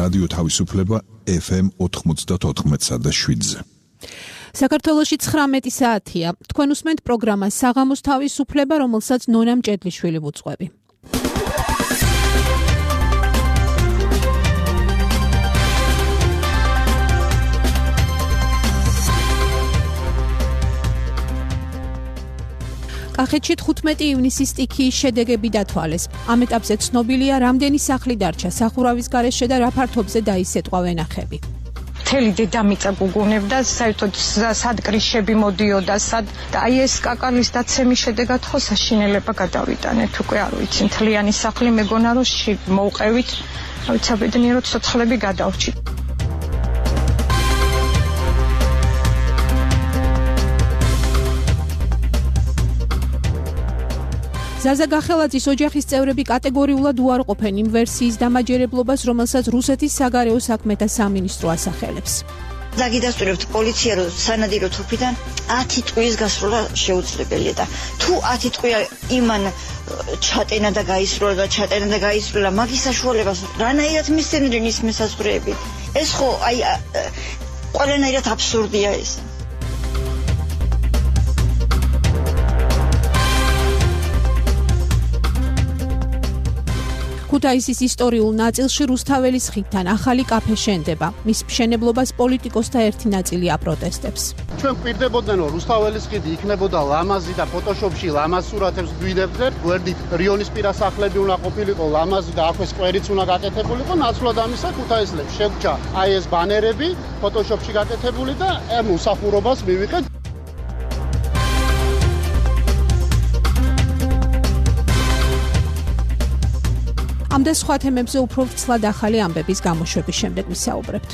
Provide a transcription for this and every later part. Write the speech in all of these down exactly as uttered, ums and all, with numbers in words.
რადიო თავისუფლება ეფ ემ ოთხმოცდაოთხ და შვიდზე. საქართველოში ცხრამეტი საათია. თქვენ უსმენთ პროგრამას საღამოს თავისუფლება, რომელსაც ნონა მჭედლიშვილი ვუძღვები. კახეთში თხუთმეტი ივნისის სტიქიის შედეგები დათვალეს. ამ ეტაპზე ცნობილია, რამდენი სახლი დარჩა სახურავის გარეშე და რა ფართობზე დაისეტყვა ვენახები. მთელი დედამიწა გუგუნებდა, საერთოდ სად კრიშები მოდიოდა, სად და აი ეს კაკალის დაცემის შედეგად ხო საშინელება გადავიტანეთ, უკვე არ ვიცი, მთლიანი სახლი მეგონა რომ მოვყევით, რა ვიცი, ბედნიერად ცოცხლები გადავრჩით. ზაზა გახელაძის ოჯახის წევრები კატეგორიულად უარყოფენ იმ ვერსიის დამაჯერებლობას, რომელსაც რუსეთის საგარეო საქმეთა სამინისტრო ასახელებს. დაგიდასტურებთ პოლიცია, რომ სანადირო თოფიდან ათი ტყუის გასროლა შეუძლებელია და თუ ათი ტყვია იმან ჩატენა და გაისროლა და ჩატენა და გაისროლა, მაგის საშუალებას რანაირად მისცემდნენ ის მესაზღვრეები? ეს ხო აი ყველანაირად აბსურდია ეს. ქუთაისის ისტორიულ ნაწილში რუსთაველის ხიდთან ახალი კაფე შენდება. მის მშენებლობას პოლიტიკოსთა ერთი ნაწილი აპროტესტებს. ჩვენ გვირდებოდნენ, რომ რუსთაველის ხიდი იქნებოდა ლამაზი და ფოტოშოპში ლამაზ სურათებს გვიდებდნენ. გვერდით რიონისპირა სახლები უნდა ყოფილიყო ლამაზი და აქვე სკვერიც უნდა გაკეთებულიყო. ნაცვლად ამისა ქუთაისლებს შეგვჭა აი ეს ბანერები ფოტოშოპში გაკეთებული და ამ უსახურობას მივიღეთ. ამ და სხვა თემებზე უფრო ვრცლად ახალი ამბების გამოშვების შემდეგ ვისაუბრებთ.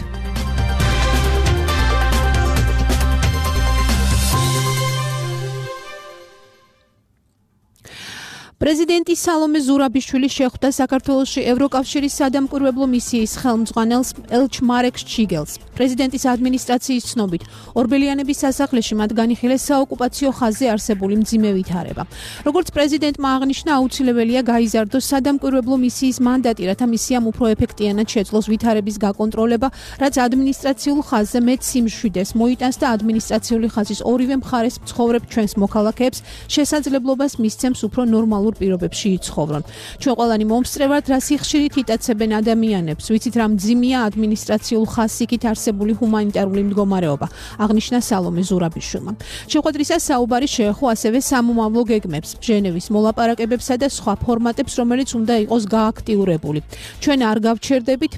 პრეზიდენტი სალომე ზურაბიშვილი შეხვდა საქართველოში ევროკავშირის სადამკვირვებლო მისიის ხელმძღვანელს ელჩ მარეკ შჩიგელს. პრეზიდენტის ადმინისტრაციის ცნობით, ორბელიანების სასახლეში მათ განიხილეს საოკუპაციო ხაზზე არსებული მძიმე ვითარება. როგორც პრეზიდენტმა აღნიშნა, აუცილებელია გაიზარდოს სადამკვირვებლო მისიის მანდატი, რათა მისიამ უფრო ეფექტიანად შეძლოს ვითარების გაკონტროლება, რაც ადმინისტრაციულ ხაზზე მეტ სიმშვიდეს მოიტანს და ადმინისტრაციული ხაზის ორივე მხარეს მცხოვრებ ჩვენს მოქალაქეებს შესაძლებლობას მისცემს უფრო ნორმალურ პირობებში იცხოვრონ. ჩვენ ყველანი მომსწრებართ, რა სიხშირით იტაცებენ ადამიანებს, ვიცით რა მძიმეა ადმინისტრაციულ ხაზსიქით არსებული ჰუმანიტარული მდგომარეობა, აღნიშნა სალომე ზურაბიშვილმა. შეხვედრისას საუბარი შეეხო ასევე სამომავლო გეგმებს, ჟენევის მოლაპარაკებებსა და სხვა ფორმატებს, რომელიც უნდა იყოს გააქტიურებული. ჩვენ არ გავჩერდებით,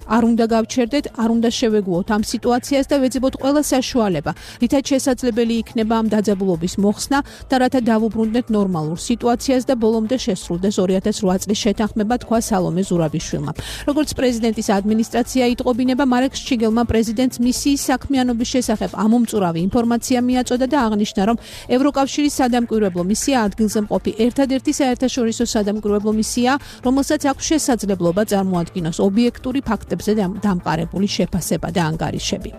არ უნდა გავჩერდეთ, არ უნდა შევეგუოთ ამ სიტუაციას და ვეძებოთ ყველა საშუალება, რითაც შესაძლებელი იქნება ამ დაძაბულობის მოხსნა და რათა დავუბრუნდეთ ნორმალურ სიტუაციას და ბოლომდე შესრულდეს ორი ათას რვა წლის შეთანხმება, თქვა სალომე ზურაბიშვილმა. როგორც პრეზიდენტის ადმინისტრაცია იტყობინება, მარეკ შჩიგელმა პრეზიდენტს მისიის საქმიანობის შესახებ ამომწურავი ინფორმაცია მიაწოდა და აღნიშნა, რომ ევროკავშირის სადამკვირვებლო მისია ადგილზე მყოფი ერთადერთი საერთაშორისო სადამკვირვებლო მისია, რომელსაც აქვს შესაძლებლობა წარმოადგინოს ობიექტური ფაქტები დამყარებული შეფასება და ანგარიშები.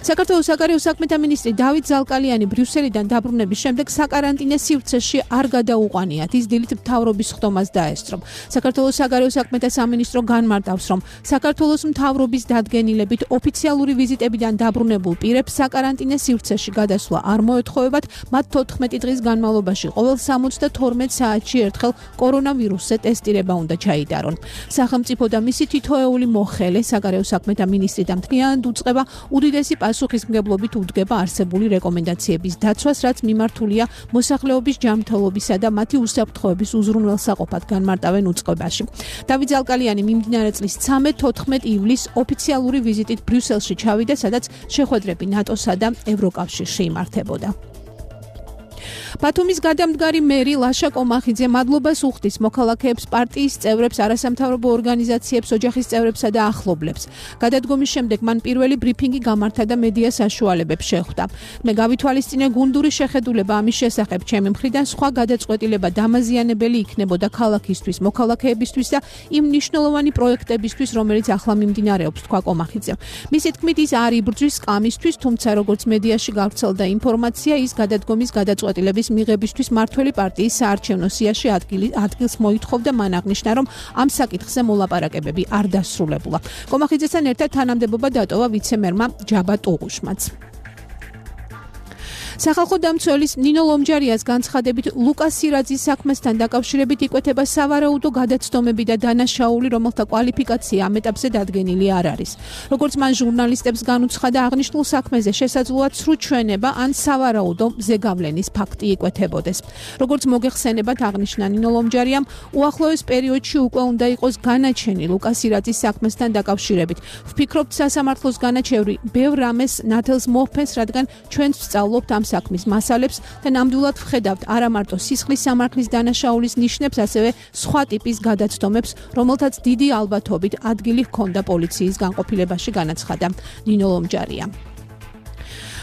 საქართველოს საგარეო საქმეთა მინისტრი დავით ზალკალიანი ბრიუსელიდან დაბრუნების შემდეგ საკარანტინე სივრცეში არ გადაუყვანიათ. ის დილით მთავრობის ხდომას დაესწრო. საქართველოს საგარეო საქმეთა სამინისტრო განმარტავს, რომ საქართველოს მთავრობის დადგენილებით ოფიციალური ვიზიტებიდან დაბრუნებულ პირებს საკარანტინე სივრცეში გადასვლა არ მოეთხოვებათ, მათ თოთხმეტი დღის განმავლობაში ყოველ სამოცდათორმეტ საათში ერთხელ კორონავირუსზე ტესტირება უნდა ჩაიტარონ. სახელმწიფო და მისი თითოეული მოხელე საგარეო საქმეთა მინისტრი და მთლიანად უწყება უდიდესი პასუხისმგებლობით უდგება არსებული რეკომენდაციების დაცვას, რაც მიმართულია მოსახლეობის ჯანმრთელობისა და მათი უსაფრთხოების უზრუნველსაყოფად განმარტავენ უწყებაში. დავით ზალკალიანი მიმდინარე წლის ცხრამეტ-თოთხმეტ ივლისს ოფიციალური ვიზიტით ბრიუსელში ჩავიდა, სადაც შეხვედრები ნატოსა და ევროკავშირში იმართებოდა. ბათუმის გადამდგარი მერი ლაშა კომახიძე მადლობას უხდის მოქალაქეებს, პარტიის წევრებს, არასამთავრობო ორგანიზაციებს, ოჯახის წევრებსა და ახლობლებს. გადადგომის შემდეგ მან პირველი ბრიფინგი გამართა და მედია საშუალებებს შეხვდა. მე გავითვალისწინე გუნდური შეხედულება ამის შესახებ, ჩემი მხრიდან სხვა გადაწყვეტილება დამაზიანებელი იქნებოდა ქალაქისთვის, მოქალაქეებისთვის და იმ მნიშვნელოვანი პროექტებისთვის, რომელიც ახლა მიმდინარეობს, თქვა კომახიძემ. მისი თქმით, ის არ იბრძვის სკამისთვის, თუმცა როგორც მედიაში გავრცელდა ინფორმაცია, ის გადადგომის გადაწყვეტილების წევრის მიღებისთვის მმართველი პარტიის საარჩევნო სიაში ადგილს მოითხოვდა. მან აღნიშნა, რომ ამ საკითხზე მოლაპარაკებები არ დასრულებულა. კომახიძესთან ერთად თანამდებობა დატოვა ვიცე-მერმა ჯაბა ტუღუშმაც. სახალხო დამცველის ნინო ლომჯარიას განცხადებით ლუკას სირაძის საქმესთან დაკავშირებით იკვეთება სავარაუდო გადაცდომები და დანაშაული, რომელთა კვალიფიკაცია ამ ეტაპზე დადგენილი არ არის. როგორც მან ჟურნალისტებს განუცხადა, აღნიშნულ საქმეზე შესაძლოა ცრუ ჩვენება ან სავარაუდო ზეგავლენის ფაქტი იკვეთებოდეს. როგორც მოგეხსენებათ, აღნიშნა ნინო ლომჯარიამ, უახლოეს პერიოდში უკვე უნდა იყოს განაჩენი ლუკას სირაძის საქმესთან დაკავშირებით. ვფიქრობთ, სასამართლოს განაჩევრი ბევრ რამეს ნათელს მოჰფენს, რადგან ჩვენც ვსწავლობთ ამ საქმის მასალებს და ნამდვილად ვხედავთ არა მარტო სისხლის სამართლის დანაშაულის ნიშნებს, ასევე სხვა ტიპის გადაცდომებს, რომელთაც დიდი ალბათობით ადგილი ჰქონდა პოლიციის განყოფილებაში, განაცხადა ნინო ლომჯარია.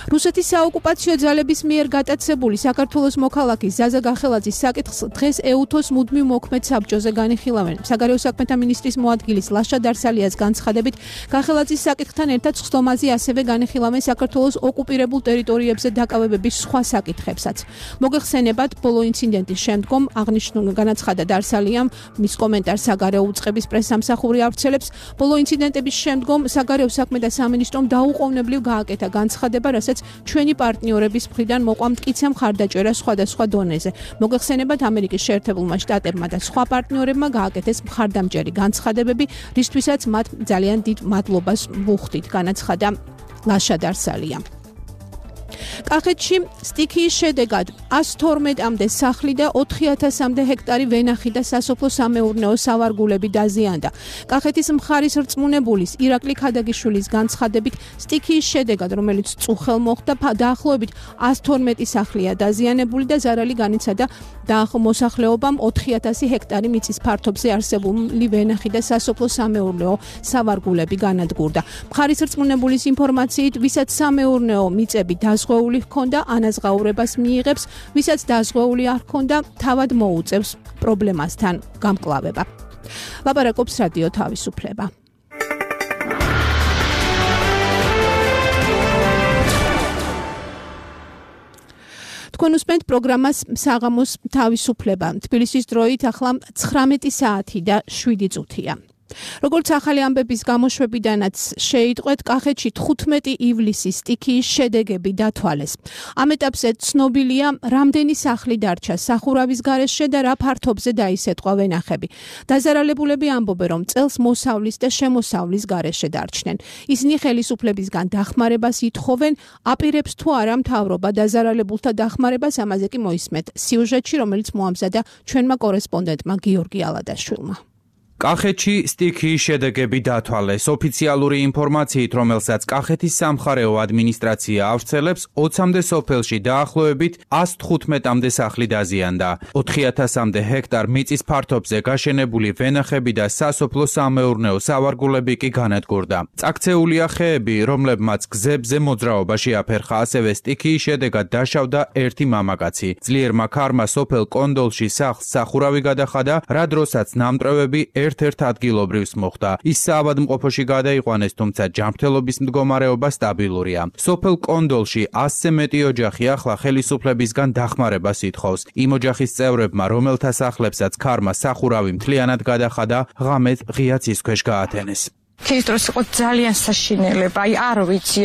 რუსეთის საოკუპაციო ძალების მიერ გატაცებული საქართველოს მოქალაქის ზაზა გახელაძის საკითხს დღეს ეუთოს მუდმივ მოქმედ საბჭოზე განიხილავენ. საგარეო საქმეთა მინისტრის მოადგილის ლაშა დარსალიას განცხადებით, გახელაძის საკითხთან ერთად ხსდომაზე ასევე განიხილავენ საქართველოს ოკუპირებულ ტერიტორიებზე დაკავებების სხვა საკითხებსაც. მოგეხსენებათ, ბოლო ინციდენტის შემდგომ აღნიშნულ განაცხადა დარსალიამ, მის კომენტარს საგარეო უწყების პრესსამსახური ავრცელებს, ბოლო ინციდენტების შემდგომ საგარეო საქმეთა სამინისტრომ დაუყოვნებლივ გააკეთა განცხადება, რასაც ჩვენი პარტნიორების მხრიდან მოყვა მტკიცე მხარდაჭერა სხვადასხვა დონეზე. მოგეხსენებათ, ამერიკის შეერთებულმა შტატებმა და სხვა პარტნიორებმა გააკეთეს მხარდამჭერი განცხადებები, რისთვისაც მათ ძალიან დიდ მადლობას ვუხდით, განაცხადა ლაშა დარსალია. კახეთში სტიქიის შედეგად ას თორმეტამდე სახლი და ოთხი ათასამდე ჰექტარი ვენახი და სასოფლო-სამეურნეო სავარგულები დაზიანდა. კახეთის მხარის რწმუნებულის ირაკლი ქადაგიშვილის განცხადებით, სტიქიის შედეგად, რომელიც წუხელ მოხდა, დაახლოებით ას თორმეტი სახლია დაზიანებული და ზარალი განიცადა მოსახლეობამ ოთხი ათასი ჰექტარი მიწის ფართობზე არსებული ვენახი და სასოფლო-სამეურნეო სავარგულები განადგურდა. მხარის რწმუნებულის ინფორმაციით, ვისაც სამეურნეო მიწები დაზღვეული ჰქონდა, ანაზღაურებას მიიღებს, ვისაც დაზღვეული არ ჰქონდა, თავად მოუწევს პრობლემასთან გამკლავება. ლაპარაკობს რადიო თავისუფლება. თქვენ უსმენთ პროგრამას საღამოს თავისუფლება. თბილისის დროით ახლა ცხრამეტი საათი და შვიდი წუთია. როგორც ახალი ამბების გამოშვებიდანაც შეიტყვეთ, კახეთში თხუთმეტი ივლისის სტიქიის შედეგები დათვალეს. ამ ეტაპზე ცნობილია, რამდენი სახლი დარჩა სახურავის გარეშე და რა ფართობზე დაისეტყვა ვენახები. დაზარალებულები ამბობენ, რომ წელს მოსავლის და შემოსავლის გარეშე დარჩნენ. ისინი ხელისუფლებისგან დახმარებას ითხოვენ, აპირებს თუ არა მთავრობა დაზარალებულთა დახმარებას, ამაზე კი მოისმენთ სიუჟეტში, რომელიც მოამზადა ჩვენმა კორესპონდენტმა გიორგი ალადაშვილმა. კახეთში სტიქიის შედეგები დათვალეს. ოფიციალური ინფორმაციით, რომელსაც კახეთის სამხარეო ადმინისტრაცია ავრცელებს, ოცამდე სოფელში დაახლოებით ას თხუთმეტამდე სახლი დაზიანდა. ოთხი ათასამდე ჰექტარ მიწის ფართობზე გაშენებული ვენახები და სასოფლო-სამეურნეო სავარგულები კი განადგურდა. წაქცეულია ხეები, რომლებმაც გზებზე მოძრაობაში აფერხა, ასევე სტიქიის შედეგად დაშავდა ერთი მამაკაცი. ძლიერმა ქარმა სოფელ კონდოლში სახლს სახურავი გადახადა, რა დროსაც ნამტვრევები ერთ-ერთ ადგილობრივს მოხდა. ის საავადმყოფოში გადაიყვანეს, თუმცა ჯანმრთელობის მდგომარეობა სტაბილურია. სოფელ კონდოლში ასზე მეტი ოჯახი ახლა ხელისუფლებისგან დახმარებას ითხოვს. იმ ოჯახის წევრებმა, რომელთა სახლებსაც ქარმა სახურავი მთლიანად გადახადა, ღამეს ღია ცის ქვეშ გაათენეს. ის დროს იყო ძალიან საშინელება, აი არ ვიცი,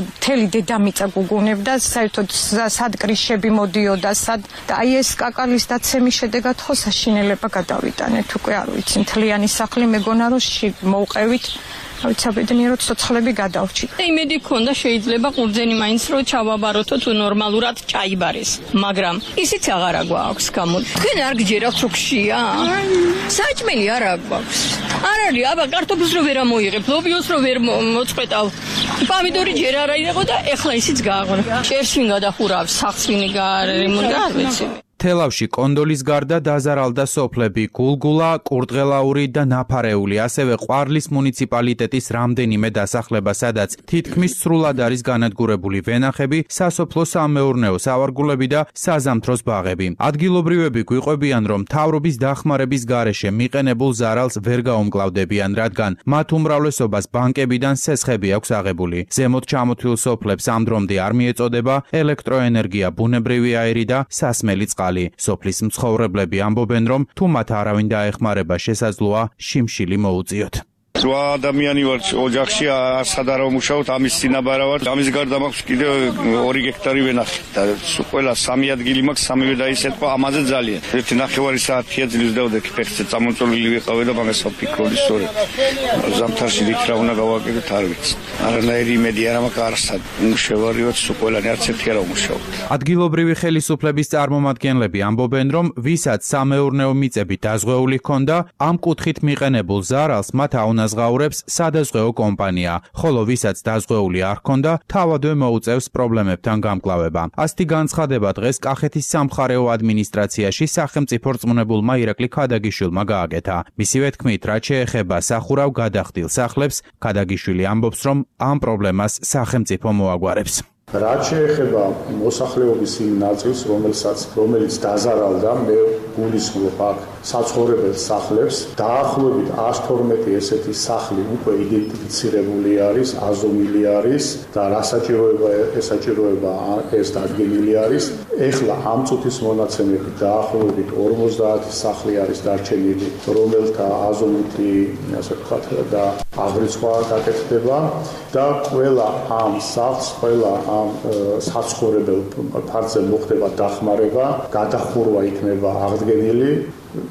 მთელი დედამიწა გუგუნებდა, საერთოდ სად კრიშები მოდიოდა, სად და აი ეს კაკალის დაცემის შედეგად ხო საშინელება გადავიტანეთ, უკვე არ ვიცი, მთლიანი სახლი მეგონა რომ მოვყევით. ავიც აბედნიეროდ ცოცხლები გადავრჩით. იმედი ქონდა შეიძლება ყურძენი მაინც რო ჩავაბაროთო თუ ნორმალურად ჭაიბარეს, მაგრამ ისიც აღარა გვაქვს გამო. თქვენ არ გჯერათ რო გშია? საჭმელი არ აქვს. არ არის, აბა კარტოფილს რო ვერ ამოიღებ, ლობიოს რო ვერ მოწყვეტავ. პომიდორი ჯერ არ აიღო და ეხლა ისიც გააღო. ჭერს ვინ გადახურავს, სახს ვინ გარემონტა, არ ვიცი. თელავში კონდოლის გარდა დაზარალდა სოფლები გულგულა, კურდღელაური და ნაფარეული, ასევე ყვარლის მუნიციპალიტეტის რამდენიმე დასახლება, სადაც თითქმის სრულად არის განადგურებული ვენახები, სასოფლო-სამეურნეო სავარგულები და საზამთროს ბაღები. ადგილობრივები გვიყვებიან, რომ მთავრობის დახმარების გარეშე მიყენებულ ზარალს ვერ გაუმკლავდებიან, რადგან მათ უმრავლესობას ბანკებიდან სესხები აქვს აღებული. ზემოთ ჩამოთვლილ სოფლებს ამ დრომდე არ მიეწოდება ელექტროენერგია, ბუნებრივი აირი და სასმელი წყალი. სოფლის მცხოვრებლები ამბობენ, რომ თუ მათ არავინ დაეხმარება, შესაძლოა შიმშილი მოუწიოთ. რვა ადამიანი ვარ ოჯახში, არცად არ ვმუშაობთ, ამის წინაბარა ვარ. ამის გარდა მაქვს კიდევ ორი გექტარი ვენახი და ყველა სამი ადგილი მაქვს, სამივე დაისეთქვა, ამაზე ძალიან. ერთი ნახევარი საათია ძლივს დავდექი ფეხზე, წამოწოლილი ვიყავი და მაგას ვფიქრობდი სწორედ. ზამთარში რით რა უნდა გავაკეთოთ, არ ვიცი. არანაირი იმედი არ მაქვს, არცად მუშევარიოთ, ყველანი არც ერთი არ ვმუშაობთ. ადგილობრივი ხელისუფლების წარმომადგენლები ამბობენ, რომ ვისაც სამეურნეო მიწები დაზღვეული ჰქონდა, ამ კუთხით მიყენებულ ზარალს მათ აუნაზღაურებს სადაზღვეო კომპანია, ხოლო ვისაც დაზღვეული არ ჰქონდა, თავადვე მოუწევს პრობლემებთან გამკლავება. ასეთი განცხადება დღეს კახეთის სამხარეო ადმინისტრაციაში სახელმწიფო რწმუნებულმა ირაკლი ქადაგიშვილმა გააკეთა. მისივე თქმით, რაც შეეხება სახურავ გადახდილ სახლებს, ქადაგიშვილი ამბობს, რომ ამ პრობლემას სახელმწიფო მოაგვარებს. რაც შეეხება მოსახლეობის იმ ნაწილს, რომელსაც რომელიც დაზარალდა, მე გულისხმობ აქ საცხოვრებელ სახლებს, დაახლოებით ას თორმეტი ესეთი სახლი უკვე იდენტიფიცირებული არის, აზომილი არის და რა საჭიროება ესაჭიროება ეს დადგენილი არის. ეხლა ამ წუთის მონაცემებით დაახლოებით ორმოცდაათი სახლი არის დარჩენილი, რომელთა აზომითი, ასე ვთქვათ, და აღრიცხვა გაკეთდება და ყველა ამ სახლს, ყველა ამ საცხოვრებელ ფარგლზე მოხდება დახმარება, გადახურვა იქნება აღდგენილი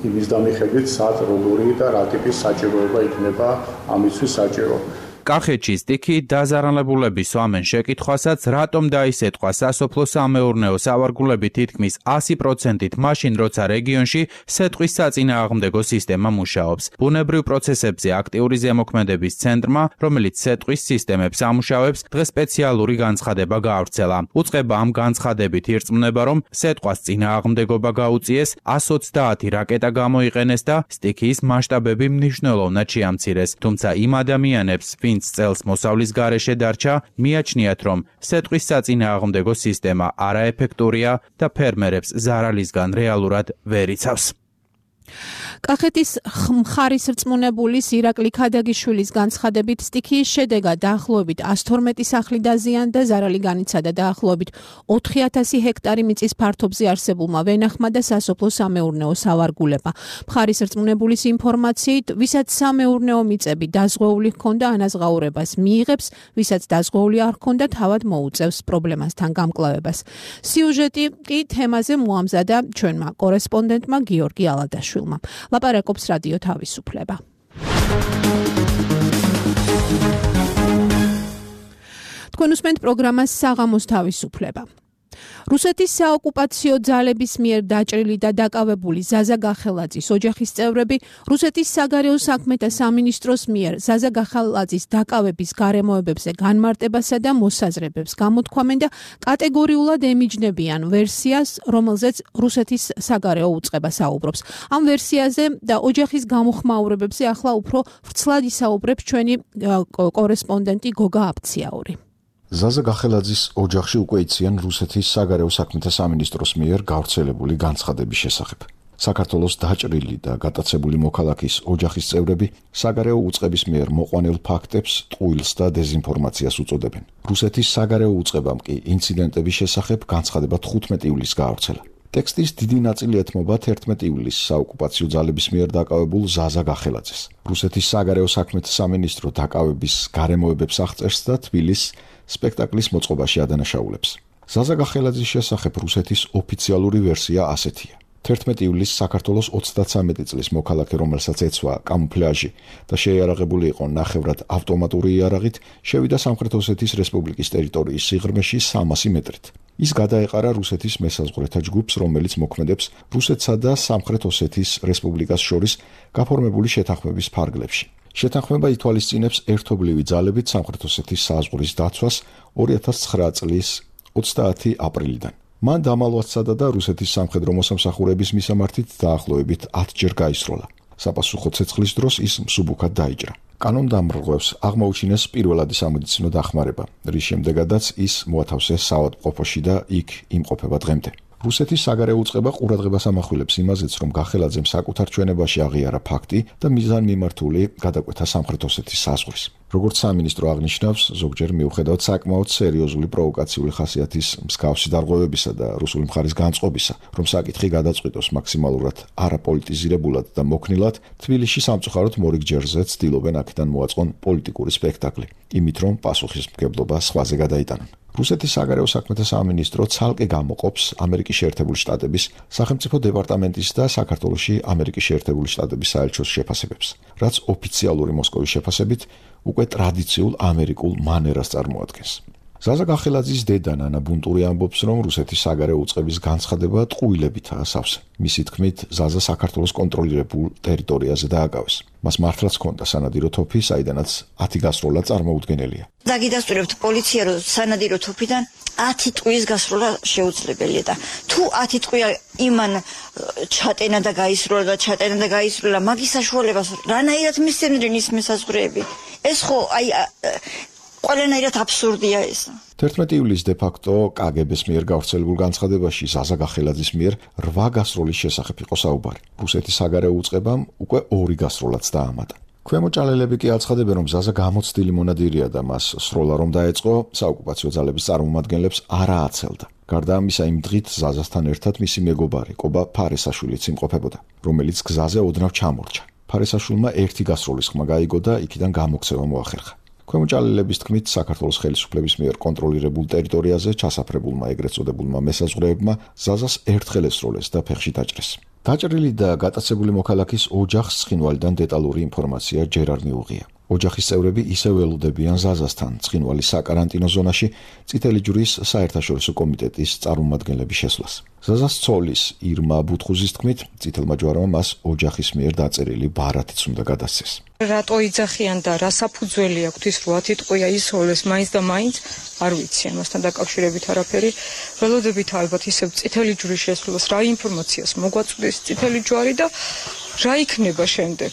იმის დამიხედვით, სად როგორი და რა ტიპის საჭიროება იქნება ამისთვის საჭირო. კახეთში სტიქი დაზარალებულების სვამენ შეკითხვასაც, რატომ დაისეთქვა სასოფლო-სამეურნეო სავარგულები თითქმის ასი პროცენტით მაშინ, როცა რეგიონში სეტყვის საწინააღმდეგო სისტემა მუშაობს. ბუნებრივ პროცესებზე აქტიური ზემოქმედების ცენტრმა, რომელიც სეტყვის სისტემებს ამუშავებს, დღეს სპეციალური განცხადება გაავრცელა. უწყება ამ განცხადებით ირწმუნება, რომ სეტყვას წინააღმდეგობა გაუწიეს, ას ოცდაათი რაკეტა გამოიყენეს და სტიქიის მასშტაბები მნიშვნელოვნად შეამცირეს. თუმცა იმ ადამიანებს, ვინც წელს მოსავლის გარეშე დარჩა, მიაჩნიათ, რომ სეტყვის საწინააღმდეგო სისტემა არაეფექტურია და ფერმერებს ზარალისგან რეალურად ვერ იცავს. კახეთის მხარის რწმუნებულის ირაკლი ქადაგიშვილის განცხადებით, სტიქიის შედეგად დაახლოებით ას თორმეტი სახლი დაზიანდა, ზარალი განიცადა დაახლოებით ოთხი ათასი ჰექტარი მიწის ფართობზე არსებულმა ვენახმა და სასოფლო-სამეურნეო სავარგულებმა. მხარის რწმუნებულის ინფორმაციით, ვისაც სამეურნეო მიწები დაზღვეული ჰქონდა, ანაზღაურებას მიიღებს, ვისაც დაზღვეული არ ჰქონდა, თავად მოუწევს პრობლემასთან გამკლავებას. სიუჟეტი კი თემაზე მოამზადა ჩვენმა კორესპონდენტმა გიორგი ალადაშვილმა. ლაპარაკობს რადიო თავისუფლება. თქვენ უსმენთ პროგრამას საღამოს თავისუფლება. რუსეთის საოკუპაციო ძალების მიერ დაჭრილი და დაკავებული ზაზა გახელაძის ოჯახის წევრები რუსეთის საგარეო საქმეთა სამინისტროს მიერ ზაზა გახელაძის დაკავების გარემოებებზე განმარტებასა და მოსაზრებებს გამოთქვამენ და კატეგორიულად ემიჯნებიან ვერსიას, რომელზეც რუსეთის საგარეო უწყება საუბრობს. ამ ვერსიაზე და ოჯახის გამოხმაურებებზე ახლა უფრო ვრცლად ისაუბრებს ჩვენი კორესპონდენტი გოგა აბციაური. ზაზა გახელაძის ოჯახში უკვე იციან რუსეთის საგარეო საქმეთა სამინისტროს მიერ გავრცელებული განცხადების შესახებ. საქართველოს დაჭრილი და გატაცებული მოქალაქის ოჯახის წევრები საგარეო უწყების მიერ მოყვანილ ფაქტებს ტყუილს და დეზინფორმაციას უწოდებენ. რუსეთის საგარეო უწყებამ კი ინციდენტების შესახებ განცხადება თხუთმეტი ივლისს გაავრცელა. ტექსტის დიდი ნაწილი ეთმობა თერთმეტი ივლისს საოკუპაციო ძალების მიერ დაკავებულ ზაზა გახელაძეს. რუსეთის საგარეო საქმეთა სამინისტრო დაკავების გარემოებებს აღწერს და თბილისს სპექტაკლის მოწყობაში ადანაშაულებს. ზაზა გახელაძის შესახებ რუსეთის ოფიციალური ვერსია ასეთია. თერთმეტი ივლისს საქართველოს ოცდათსამეტი წლის მოქალაქე, რომელსაც ეცვა კამუფლაჟი და შეიარაღებული იყო ნახევრად ავტომატური იარაღით, შევიდა სამხრეთ ოსეთის რესპუბლიკის ტერიტორიის სიღრმეში სამასი მეტრით. ის გადაეყარა რუსეთის მესაზღვრეთა ჯგუფს, რომელიც მოქმედებს რუსეთსა და სამხრეთ ოსეთის რესპუბლიკას შორის გაფორმებული შეთანხმების ფარგლებში. შეთანხმება ითვალისწინებს ერთობლივი ძალებით სამხრეთ ოსეთის საზღვრის დაცვას ორი ათას ცხრა წლის ოცდაათი აპრილიდან. მან დამალვაცადა და რუსეთის სამხედრო მოსამსახურების მისამართით დაახლოებით ათჯერ გაისროლა. საპასუხო ცეცხლის დროს ის მსუბუქად დაიჭრა. კანონდამრღვევს აღმოუჩინეს პირველადი სამედიცინო დახმარება, რის შემდეგაც ის მოათავსეს საავადმყოფოში და იქ იმყოფება დღემდე. რუსეთის საგარეო უწყება ყურადღებას ამახვილებს იმაზეც, რომ გახელაძემ საკუთარ ჩვენებაში აღიარა ფაქტი და მიზანმიმართული გადაკვეთა სამხრეთ ოსეთის საზღვრის. როგორც სამინისტრო აღნიშნავს, ზოგჯერ მიუხედავად საკმაოდ სერიოზული პროვოკაციული ხასიათის მსგავსი დარღვევებისა და რუსული მხარის განწყობისა, რომ საკითხი გადაწყვიტოს მაქსიმალურად არაპოლიტიზირებულად და მოქნილად, თბილისში სამწუხაროდ მორიგჯერზე ცდილობენ აქედან მოაწყონ პოლიტიკური სპექტაკლი, იმით რომ პასუხისმგებლობა სხვაზე გადაიტანონ. რუსეთის საგარეო საქმეთა სამინისტრო ცალკე გამოყოფს ამერიკის შეერთებული შტატების სახელმწიფო დეპარტამენტის და საქართველოში ამერიკის შეერთებული შტატების საელჩოს შეფასებებს, რაც ოფიციალური მოსკოვის შეფასებით უკვე ტრადიციულ ამერიკულ მანერას წარმოადგენს. ზაზა გახელაძის დედა ნანა ბუნტური ამბობს, რომ რუსეთის საგარეო უწყების განცხადება ტყუილებითაა სავსე. მისი თქმით, ზაზა საქართველოს კონტროლირებულ ტერიტორიაზე დააკავეს. მას მართლაც ჰქონდა სანადირო თოფი, საიდანაც ათი გასროლა წარმოუდგენელია. დაგიდასტურებთ პოლიცია, რომ სანადირო თოფიდან ათი ტყუის გასროლა შეუძლებელია და თუ ათი ტყვია იმან ჩატენა და გაისროლა და ჩატენა და გაისროლა, მაგის საშუალებას რანაირად მისცემდნენ ის მესაზღვრეები? ეს ხო აი ყველანაირად აბსურდია ეს. თერთმეტი ივლისს დე-ფაქტო კაგებეს მიერ გავრცელებულ განცხადებაში ზაზა გახელაძის მიერ რვა გასროლის შესახებ იყო საუბარი. რუსეთის საგარეო უწყებამ უკვე ორი გასროლაც დაამატა. ქვემოჭალელები კი აცხადებენ, რომ ზაზა გამოცდილი მონადირეა და მას სროლა რომ დაეწყო, საოკუპაციო ძალების წარმომადგენლებს არა აცელდა. გარდა ამისა, იმ დღით ზაზასთან ერთად მისი მეგობარი კობა ფარესაშვილიც იმყოფებოდა, რომელიც გზაზე ოდნავ ჩამორჩა. ფარესაშვილმა ერთი გასროლის ხმა გაიგო და იქიდან გამოქცევა მოახერხა. ქვემოჭალელების თქმით, საქართველოს ხელისუფლების მიერ კონტროლირებულ ტერიტორიაზე ჩასაფრებულმა ეგრეთ წოდებულმა მესაზღვრეებმა ზაზას ერთხელ ესროლეს და ფეხში დაჭრეს. დაჭრილი და გატაცებული მოქალაქის ოჯახს ცხინვალიდან დეტალური ინფორმაცია ჯერ არ მიუღია. ოჯახის წევრები ისევ ველოდებიან ზაზასთან ცხინვალის საკარანტინო ზონაში წითელი ჯვრის საერთაშორისო კომიტეტის წარმომადგენლების შესვლას. ზაზას ცოლის ირმა ბუთხუზის თქმით, წითელმა ჯვარმა მას ოჯახის მიერ დაწერილი ბარათიც უნდა გადასცეს. რატო იძახიან და რა საფუძველი აქვს ის რომ ათი ტყვია ისროლეს მაინც და მაინც არ ვიცი ამასთან დაკავშირებით არაფერი. ველოდებით ალბათ ისევ წითელი ჯვრის შესვლას, რა ინფორმაციას მოგვაწვდის წითელი ჯვარი და რა იქნება შემდეგ.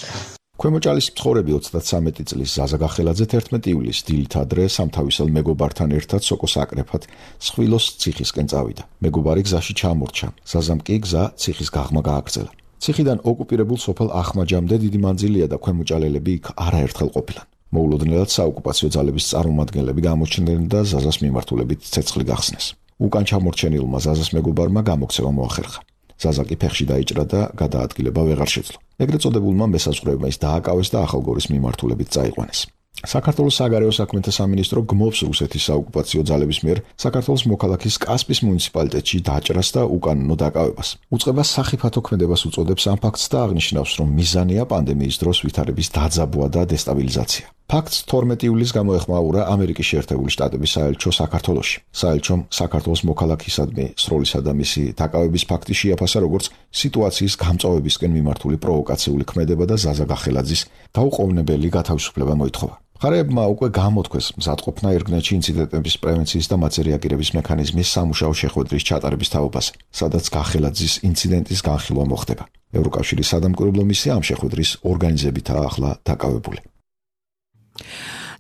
ქვემოჭალის მცხოვრები ოცდათსამეტი წლის ზაზა გახელაძე თერთმეტი ივლისს დილით ადრე სამთავისელ მეგობართან ერთად სოკოს აკრეფად სხვილოს ციხისკენ წავიდა. მეგობარი გზაში ჩამორჩა, ზაზამ კი გზა ციხის გაღმა გააგრძელა. ციხიდან ოკუპირებულ სოფელ ახმაჯამდე დიდი მანძილია და ქვემოჭალელები იქ არაერთხელ ყოფილან. მოულოდნელად საოკუპაციო ძალების წარმომადგენლები გამოჩნდნენ და ზაზას მიმართულებით ცეცხლი გახსნეს. უკან ჩამორჩენილმა ზაზას მეგობარმა გამოქცევა მოახერხა. ზაზა კი ფეხში დაიჭრა და გადაადგილება ვეღარ შეძლო. ეგრეთ წოდებულმა მესაზღვრეებმა ის დააკავეს და ახალგორის მიმართულებით წაიყვანეს. საქართველოს საგარეო საქმეთა სამინისტრო გმობს რუსეთის საოკუპაციო ძალების მიერ საქართველოს მოქალაქის კასპის მუნიციპალიტეტში დაჭრას და უკანონო დაკავებას. უწყება სახიფათო ქმედებას უწოდებს ამ ფაქტს და აღნიშნავს, რომ მიზანია პანდემიის დროს ვითარების დაძაბვა და დესტაბილიზაცია. ფაქტს თორმეტი ივლისს გამოეხმაურა ამერიკის შეერთებული შტატების საელჩო საქართველოში. საელჩომ საქართველოს მოქალაქისადმი სროლისა და მისი დაკავების ფაქტი შეაფასა როგორც სიტუაციის გამწვავებისკენ მიმართული პროვოკაციული ქმედება და ზაზა გახელაძის დაუყოვნებელი გათავისუფლება მოითხოვა. მხარეებმა უკვე გამოთქვეს მზადყოფნა ერგნეთში ინციდენტების პრევენციის და მათზე რეაგირების მექანიზმის სამუშაო შეხვედრის ჩატარების თაობაზე, სადაც გახელაძის ინციდენტის განხილვა მოხდება. ევროკავშირის სადამკვირვებლო მისია ამ შეხვედრის ორგანიზებითაა ახლა დაკავებული.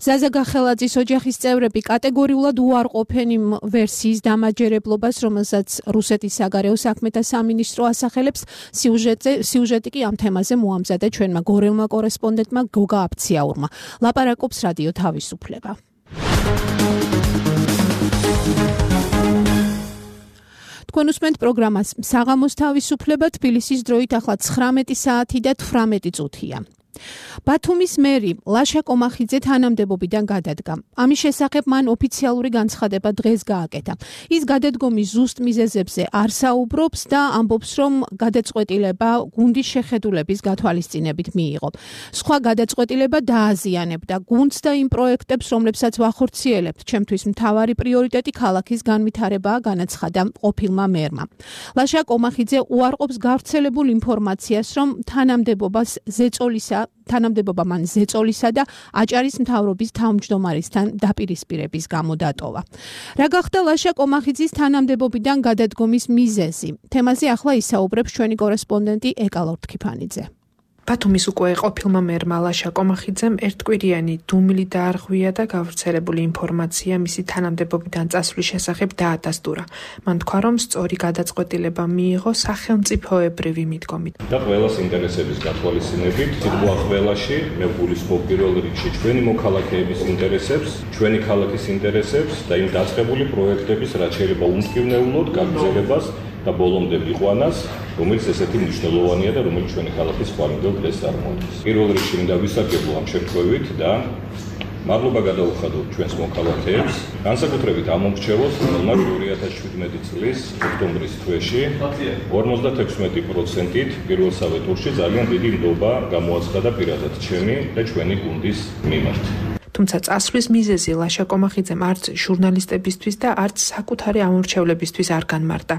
ზაზა გახელაძის ოჯახის წევრები კატეგორიულად უარყოფენ იმ ვერსიის დამაჯერებლობას, რომელსაც რუსეთის საგარეო საქმეთა სამინისტრო ასახელებს. სიუჟეტზე სიუჟეტი კი ამ თემაზე მოამზადა ჩვენმა გორელმა კორესპონდენტმა გოგა აფციაურმა. ლაპარაკობს რადიო თავისუფლება. თქვენ უსმენთ პროგრამას საღამოს თავისუფლება, თბილისის დროით ახლა ცხრამეტი საათი და თვრამეტი წუთია. ბათუმის მერი ლაშა კომახიძე თანამდებობიდან გადადგა. ამის შესახებ მან ოფიციალური განცხადება დღეს გააკეთა. ის გადადგომის ზუსტ მიზეზებზე არ საუბრობს და ამბობს, რომ გადაწყვეტილება გუნდის შეხედულების გათვალისწინებით მიიღო. სხვა გადაწყვეტილება დააზიანებდა გუნდს და იმ პროექტებს, რომლებსაც ვახორციელებთ. ჩემთვის მთავარი პრიორიტეტი ქალაქის განვითარებაა, განაცხადა ყოფილმა მერმა. ლაშა კომახიძე უარყოფს გავრცელებულ ინფორმაციას, რომ თანამდებობას ზეწოლისა თანამდებობა მან ზეწოლისა და აჭარის მთავრობის თავმჯდომარისთან დაპირისპირების გამო დატოვა. რა გახდა ლაშა კომახიძის თანამდებობიდან გადადგომის მიზეზი? თემაზე ახლა ისაუბრებს ჩვენი კორესპონდენტი ეკა ლორთქიფანიძე. ბათუმის უკვე ყოფილმა მერმა ლაშა კომახიძემ ერთკვირიანი დუმილი დაარღვია და გავრცელებული ინფორმაცია მისი თანამდებობიდან წასვლის შესახებ დაადასტურა. მან თქვა, რომ სწორი გადაწყვეტილება მიიღო სახელმწიფოებრივი მიდგომით. და ყველას ინტერესების გათვალისწინებით, სიტყვა ყველაში, მე გულისხმობ პირველ რიგში ჩვენი მოქალაქეების ინტერესებს, ჩვენი ქალაქის ინტერესებს და იმ დაწყებული პროექტების რაც შეიძლება უმტკივნეულოდ გაგრძელებას და ბოლომდე მიყვანას, რომელიც ესეთი მნიშვნელოვანია და რომელიც ჩვენი ქალაქის ხვალინდელ დღეს წარმოადგენს. პირველ რიგში მინდა ვისარგებლო ამ შემთხვევით და მადლობა გადაუხადოთ ჩვენს მოქალაქეებს, განსაკუთრებით ამ მომრჩევლს, რომელმაც ორი ათას შვიდმეტი წლის ოქტომბრის თვეში ორმოცდათექვსმეტი პროცენტით პირველსავე ტურში ძალიან დიდი ნდობა გამოაცხადა პირადად ჩემი და ჩვენი გუნდის მიმართ. თუმცა წასვლის მიზეზი ლაშა კომახიძემ არც ჟურნალისტებისთვის და არც საკუთარი ამორჩევლებისთვის არ განმარტა.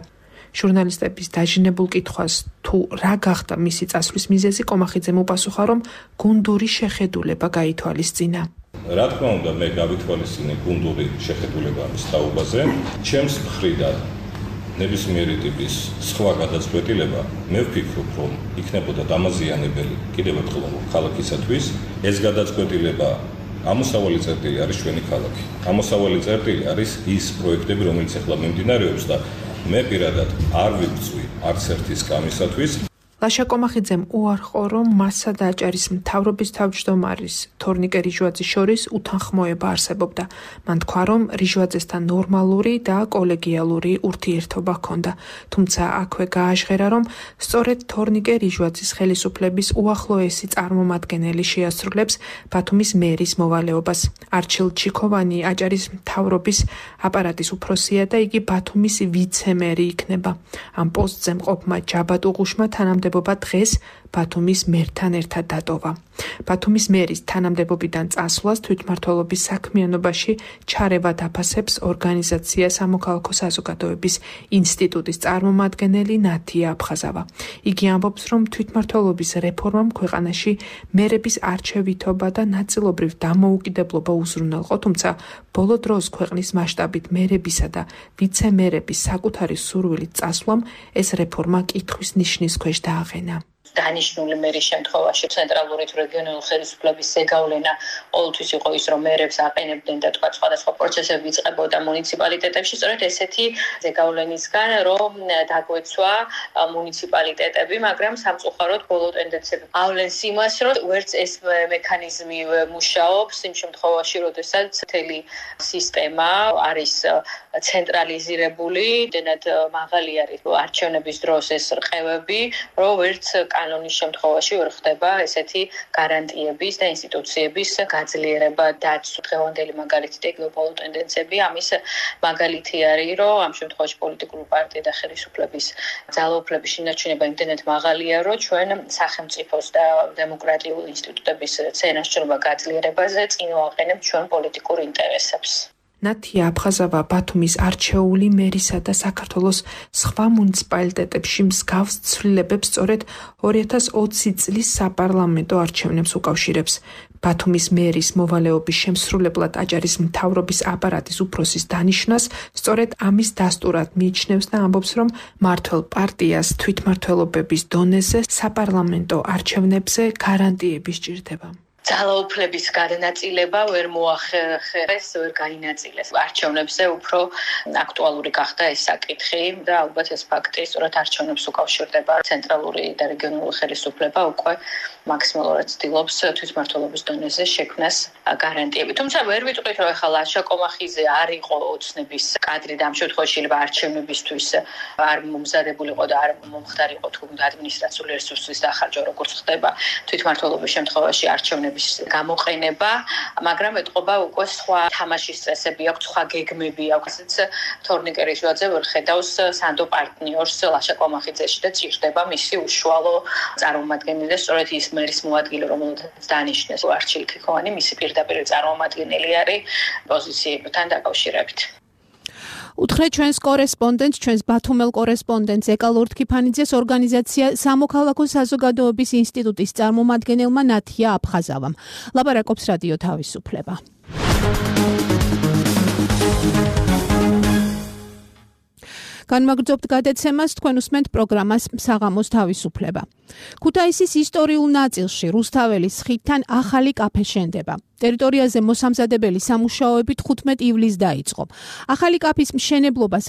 ჟურნალისტების დაჟინებულ კითხვას თუ რა გახდა მისი წასვლის მიზეზი, კომახიძემ უპასუხა, რომ გუნდური შეხედულება გაითვალისწინა. რა თქმა უნდა, მე გავითვალისწინე გუნდური შეხედულება ამის თაობაზე. ჩემს მხრიდან ნებისმიერი ტიპის სხვა გადაწყვეტილება, მე ვფიქრობ, რომ იქნებოდა დამაზიანებელი კიდევ ერთხელ ქალაქისათვის. ეს გადაწყვეტილება ამოსავალი წერტილი არის ჩვენი ქალაქი. ამოსავალი წერტილი არის ის პროექტები, რომელიც ახლა მიმდინარეობს და მე პირადად არ ვიბრძვი არც ერთის კამისათვის. ლაშა კომახიძემ უარყო, რომ მასა და აჭარის მთავრობის თავმჯდომარის თორნიკე რიჟვაძის შორის უთანხმოება არსებობდა. მან თქვა, რომ რიჟვაძესთან ნორმალური და კოლეგიალური ურთიერთობა ჰქონდა. თუმცა აქვე გააჟღერა, რომ სწორედ თორნიკე რიჟვაძის ხელისუფლების უახლოესი წარმომადგენელი შეასრულებს ბათუმის მერის მოვალეობას. არჩილ ჩიქოვანი აჭარის მთავრობის აპარატის უფროსია და იგი ბათუმის ვიცემერი იქნება. ამ პოსტზე მყოფმა ჯაბატ უღუშმა თანამდებობა დღეს ბათუმის მერთან ერთად დატოვა. ბათუმის მერის თანამდებობიდან წასვლას თვითმმართველობის საქმიანობაში ჩარევა დაფასებს ორგანიზაცია სამოქალაქო საზოგადოების ინსტიტუტის წარმომადგენელი ნათია აფხაზავა. იგი ამბობს, რომ თვითმმართველობის რეფორმამ ქვეყანაში მერების არჩევითობა და ნაწილობრივ დამოუკიდებლობა უზრუნველყო, თუმცა ბოლო დროს ქვეყნის მასშტაბით მერებისა და ვიცემერების საკუთარი სურვილით წასვლამ ეს რეფორმა კითხვის ნიშნის ქვეშ დააყენა. დანიშნული მერის შემთხვევაში ცენტრალური თუ რეგიონული ხელისუფლების ზეგავლენა ყოველთვის იყო ის, რომ მერებს აყენებდნენ და თქვა სხვადასხვა პროცესები იწყებოდა მუნიციპალიტეტებში, სწორედ ესეთი ზეგავლენისგან, რომ დაგვეცვა მუნიციპალიტეტები, მაგრამ სამწუხაროდ ბოლო ტენდენციები ავლენს იმას, რომ ვერც ეს მექანიზმი მუშაობს იმ შემთხვევაში, როდესაც მთელი სისტემა არის ცენტრალიზირებული, დენად მაღალი არის არჩევნების დროს ეს რყევები, რომ ვერც კანონის შემთხვევაში ვერ ხდება ესეთი გარანტიების და ინსტიტუციების გაძლიერება და დღევანდელი მაგალითი და გეოპოლიტიკურ ტენდენციები ამის მაგალითი არის, რომ ამ შემთხვევაში პოლიტიკური პარტია და ხელისუფლების ძალაუფლების შინაჩვენება იმდენად მაღალია, რომ ჩვენ სახელმწიფოს და დემოკრატიული ინსტიტუტების წინასწრობა გაძლიერებაზე წინ ვაყენებთ ჩვენ პოლიტიკურ ინტერესებს. ნათია აფხაზავა ბათუმის არჩეული მერისა და საქართველოს სხვა მუნიციპალიტეტებში მსგავს ცვლილებებს სწორედ ორი ათას ოცი წლის საპარლამენტო არჩევნებს უკავშირებს. ბათუმის მერის მოვალეობის შემსრულებლად აჭარის მთავრობის აპარატის უფროსის დანიშვნას სწორედ ამის დასტურად მიიჩნევს და ამბობს, რომ მმართველ პარტიას თვითმმართველობების დონეზე საპარლამენტო არჩევნებზე გარანტიები სჭირდება. ძალაუფლების გადანაწილება ვერ მოახერხეს, ვერ გაინაწილეს. არჩევნებზე უფრო აქტუალური გახდა ეს საკითხი და ალბათ ეს ფაქტი სწორედ არჩევნებს უკავშირდება. ცენტრალური და რეგიონული ხელისუფლება უკვე მაქსიმალურად ცდილობს თვითმმართველობის დონეზე შექმნას გარანტიები. თუმცა ვერ ვიტყვით, რომ ახლა ლაშა კომახიძე არ იყო ოცნების კადრი და ამ შემთხვევაში არჩევნებისთვის არ მომზადებულიყო და არ მომხდარიყო თუნდაც ადმინისტრაციული რესურსის დახარჯვა, როგორც ხდება თვითმმართველობის შემთხვევაში არჩევნები გამოყენება, მაგრამ ეთყობა უკვე სხვა თამაშის წესები აქვს, სხვა გეგმები აქვს. თორნიკე რიჟვაძე ვერ ხედავს სანდო პარტნიორს ლაშა კომახიძეში და ჭირდება მისი უშუალო წარმომადგენელი და სწორედ ის მერის მოადგილე, რომელსაც დანიშნეს არჩილ ჩიქოვანი, მისი პირდაპირ წარმომადგენელი არის პოზიციებთან დაკავშირებით. უთხრეთ ჩვენს კორესპონდენტს, ჩვენს ბათუმელ კორესპონდენტს ეკალ ორთქიფანიძეს ორგანიზაცია სამოქალაქო საზოგადოების ინსტიტუტის წარმომადგენელმა ნათია აფხაზავამ. ლაპარაკობს რადიო თავისუფლება. განმაგრძობთ გადაცემას, თქვენ უსმენთ პროგრამას საღამოს თავისუფლება. ქუთაისის ისტორიულ ნაწილში რუსთაველის ხიდთან ახალი კაფე შენდება. ტერიტორიაზე მოსამზადებელი სამუშაოები თხუთმეტ ივლისს დაიწყო. ახალი კაფის მშენებლობას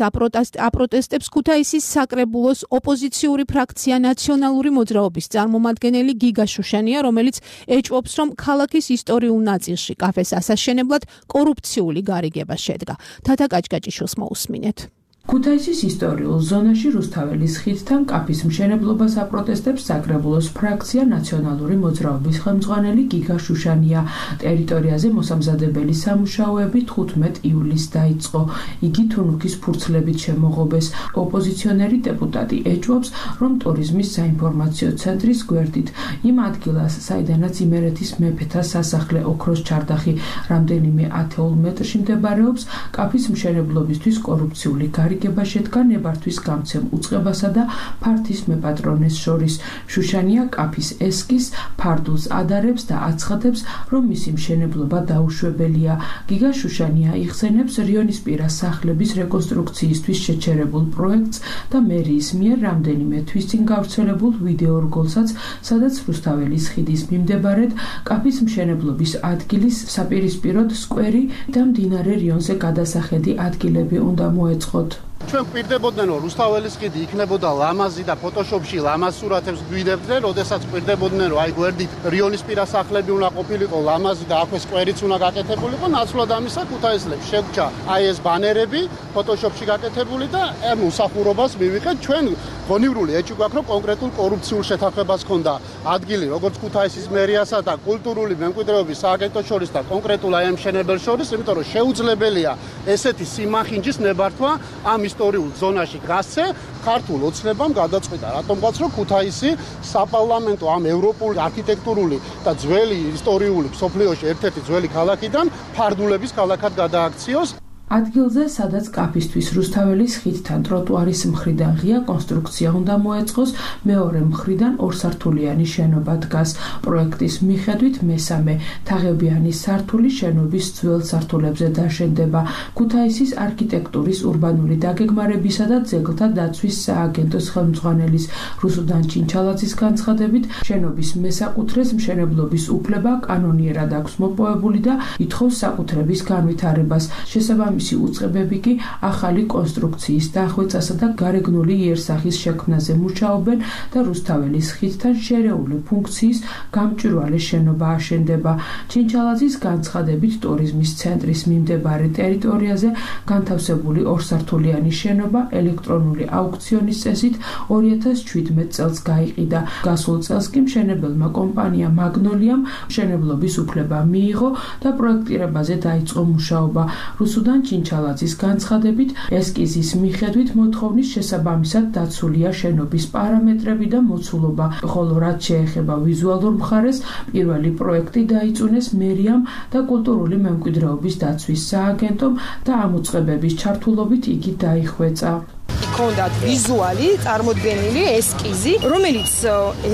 აპროტესტებს ქუთაისის საკრებულოს ოპოზიციური ფრაქცია ნაციონალური მოძრაობის წარმომადგენელი გიგა შუშანია, რომელიც ეჭვობს, რომ ქალაქის ისტორიულ ნაწილში კაფეს ასაშენებლად კორუფციული გარიგება შედგა. თათა კაჭკაჭიშვილს მოусმინეთ. ქუთაისის ისტორიულ ზონაში რუსთაველის ხიდთან კაფის მშენებლობას აპროტესტებს საკრებულოს ფრაქცია ნაციონალური მოძრაობის ხელმძღვანელი გიგა შუშანია. ტერიტორიაზე მოსამზადებელი სამუშაოები თხუთმეტ ივლისს დაიწყო. იგი თუნუქის ფურცლებით შემოღობეს. ოპოზიციონერი დეპუტატი ეჭვობს, რომ ტურიზმის საინფორმაციო ცენტრის გვერდით იმ ადგილას, საიდანაც იმერეთის მეფეთა სასახლე ოქროს ჩარდახი რამდენიმე ათეულ მეტრში მდებარეობს, კაფის მშენებლობისთვის კორუფციული გარიგება შედგა ნებართვის გამცემ უწყებასა და ფართის მეპატრონეს შორის. შუშანია კაფის ესკიზს ფარდულს ადარებს და აცხადებს, რომ მისი მშენებლობა დაუშვებელია. გიგა შუშანია იხსენებს რიონისპირა სახლების რეკონსტრუქციისთვის შეჩერებულ პროექტს და მერიის მიერ რამდენიმე თვის წინ გავრცელებულ ვიდეორგოლსაც, სადაც რუსთაველის ხიდის მიმდებარედ კაფის მშენებლობის ადგილის საპირისპიროდ სკვერი და მდინარე რიონზე გადასახედი ადგილები უნდა მოეწყოთ. ჩვენ გვირდებოდნენ, რომ რუსთაველის ხიდი იქნებოდა ლამაზი და ფოტოშოპში ლამაზ სურათებს გვიდებდნენ, როდესაც გვირდებოდნენ, რომ აი გვერდით რიონისპირა სახლები უნდა ყოფილიყო ლამაზი და აქვე სკვერიც უნდა გაკეთებულიყო, ნაცვლად ამისა ქუთაისლებს შეგვჭა აი ეს ბანერები ფოტოშოპში გაკეთებული და ამ უსახურობას მივიღეთ. ჩვენ გონივრული ეჭვი გვაქვს, რომ კონკრეტულ კორუფციულ შეთანხმებას ჰქონდა ადგილი, როგორც ქუთაისის მერიასა და კულტურული მემკვიდრეობის სააგენტოს შორის და კონკრეტულ აი ამ მშენებელს შორის, იმიტომ რომ შეუძლებელია ესეთი სიმახინჯის ნებართვა ამ ისტორიულ ზონაში გასცე. ქართულ ოცნებამ გადაწყვიტა, რატომღაც რომ ქუთაისი საპარლამენტო ამ ევროპული არქიტექტურული და ძველი ისტორიული მსოფლიოში ერთ-ერთი ძველი ქალაქიდან ფარდულების ქალაქად გადააქციოს. ადგილზე, სადაც კაფისთვის რუსთაველის ხიდთან ტროტუარის მხრიდან ღია კონსტრუქცია უნდა მოეწყოს, მეორე მხრიდან ორსართულიანი შენობა დგას. პროექტის მიხედვით მესამე თაღებიანი სართული შენობის ძველ სართულებზე დაშენდება. ქუთაისის არქიტექტურის урბანული დაგეგმარებისა და ძეგლთა დაცვის სააგენტოს ხელმძღვანელის რუსუდან ჩინჩალაძის განცხადებით, შენობის მესაკუთრეს მშენებლობის უფლება კანონიერად აქვს მოპოვებული და ითხოვს საკუთრების განვითარებას. შესაბამისად მისი უწყებები კი ახალი კონსტრუქციის დახვეწასა და გარეგნული იერსახის შექმნაზე მუშაობენ და რუსთაველის ხიდთან შერეული ფუნქციის გამჭვირვალე შენობა აშენდება. ჩინჩალაძის განცხადებით ტურიზმის ცენტრის მიმდებარე ტერიტორიაზე განთავსებული ორსართულიანი შენობა ელექტრონული აუქციონის წესით ორი ათას შვიდმეტ წელს გაიყიდა. გასულ წელს კი მშენებელმა კომპანია მაგნოლიამ მშენებლობის უფლება მიიღო და პროექტირებაზე დაიწყო მუშაობა. რუსუდან ჩინჩალაძის განცხადებით, ესკიზის მიხედვით მოთხოვნის შესაბამისად დაცულია შენობის პარამეტრები და მოცულობა, ხოლო რაც შეეხება ვიზუალურ მხარეს, პირველი პროექტი დაიწუნეს მერიამ და კულტურული მემკვიდრეობის დაცვის სააგენტომ და ამ უწყებების ჩართულობით იგი დაიხვეწა. ჰქონდათ ვიზუალი წარმოდგენილი ესკიზი, რომელიც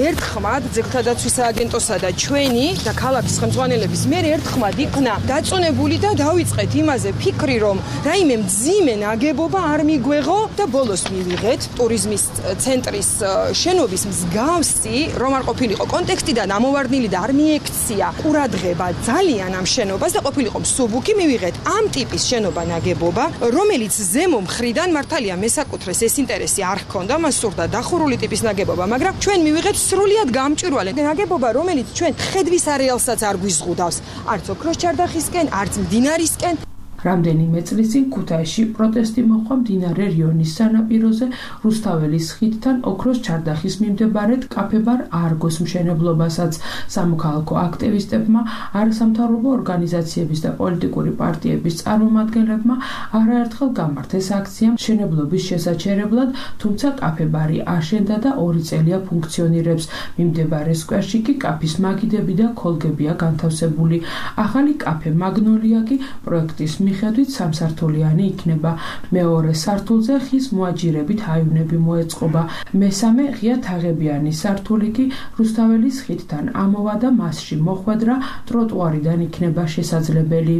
ერთხმად ძეგლთა დაცვის სააგენტოსა და ჩვენი და ქალაქის ხელმძღვანელების მიერ ერთხმად იქნა დაწუნებული და დავიწყეთ იმაზე ფიქრი, რომ რაიმე მძიმე ნაგებობა არ მიგვეღო და ბოლოს მივიღეთ ტურიზმის ცენტრის შენობის მსგავსი, რომ არ ყოფილიყო კონტექსტიდან ამოვარდნილი და არ მიექცია ყურადღება ძალიან ამ შენობას და ყოფილიყო მსუბუქი, მივიღეთ ამ ტიპის შენობა ნაგებობა, რომელიც ზემო მხრიდან მართალია მესაკუთრე ეს ინტერესი არ ჰქონდა, მას სურდა დახურული ტიპის ნაგებობა, მაგრამ ჩვენ მივიღეთ სრულიად გამჭვირვალე ნაგებობა, რომელიც ჩვენ ხედვის არეალსაც არ გვიზღუდავს, არც ოქროს ჩარდახისკენ, არც მდინარისკენ. რამდენიმე წლის წინ ქუთაისში პროტესტი მოჰყვა მდინარე რიონის სანაპიროზე რუსთაველის ხიდთან ოქროს ჩარდახის მიმდებარედ კაფე-ბარ არგოს მშენებლობასაც. სამოქალაქო აქტივისტებმა, არასამთავრობო ორგანიზაციების და პოლიტიკური პარტიების წარმომადგენლებმა არაერთხელ გამართეს აქცია მშენებლობის შესაჩერებლად, თუმცა კაფე-ბარი აშენდა და ორი წელია ფუნქციონირებს. მიმდებარე სკვერში კი კაფის მაგიდები და ქოლგებია განთავსებული. ახალი კაფე მაგნოლია კი პროექტის მიხედვით სამსართულიანი იქნება. მეორე სართულზე ხის მოაჯირებით აივნები მოეწყობა. მესამე ღია თაღებიანი სართული კი რუსთაველის ხიდთან ამოვა და მასში მოხვედრა ტროტუარიდან იქნება შესაძლებელი.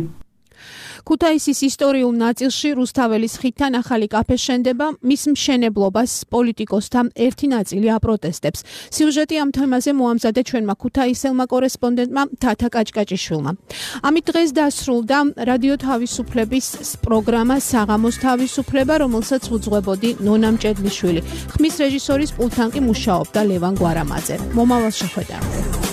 ქუთაისის ისტორიულ ნაწილში რუსთაველის ხიდთან ახალი კაფე შენდება, მის მშენებლობას პოლიტიკოსთა ერთი ნაწილი აპროტესტებს. სიუჟეტი ამ თემაზე მოამზადე ჩვენმა ქუთაისელმა კორესპონდენტმა თათა კაჭკაჭიშვილმა. ამით დღეს დასრულდა რადიო თავისუფლების პროგრამა საღამოს თავისუფლება, რომელსაც უძღვებოდი ნონა მჭედლიშვილი. ხმის რეჟისორის პულტთან კი მუშაობდა ლევან გვარამაძე. მომავალ შეხვედრამდე.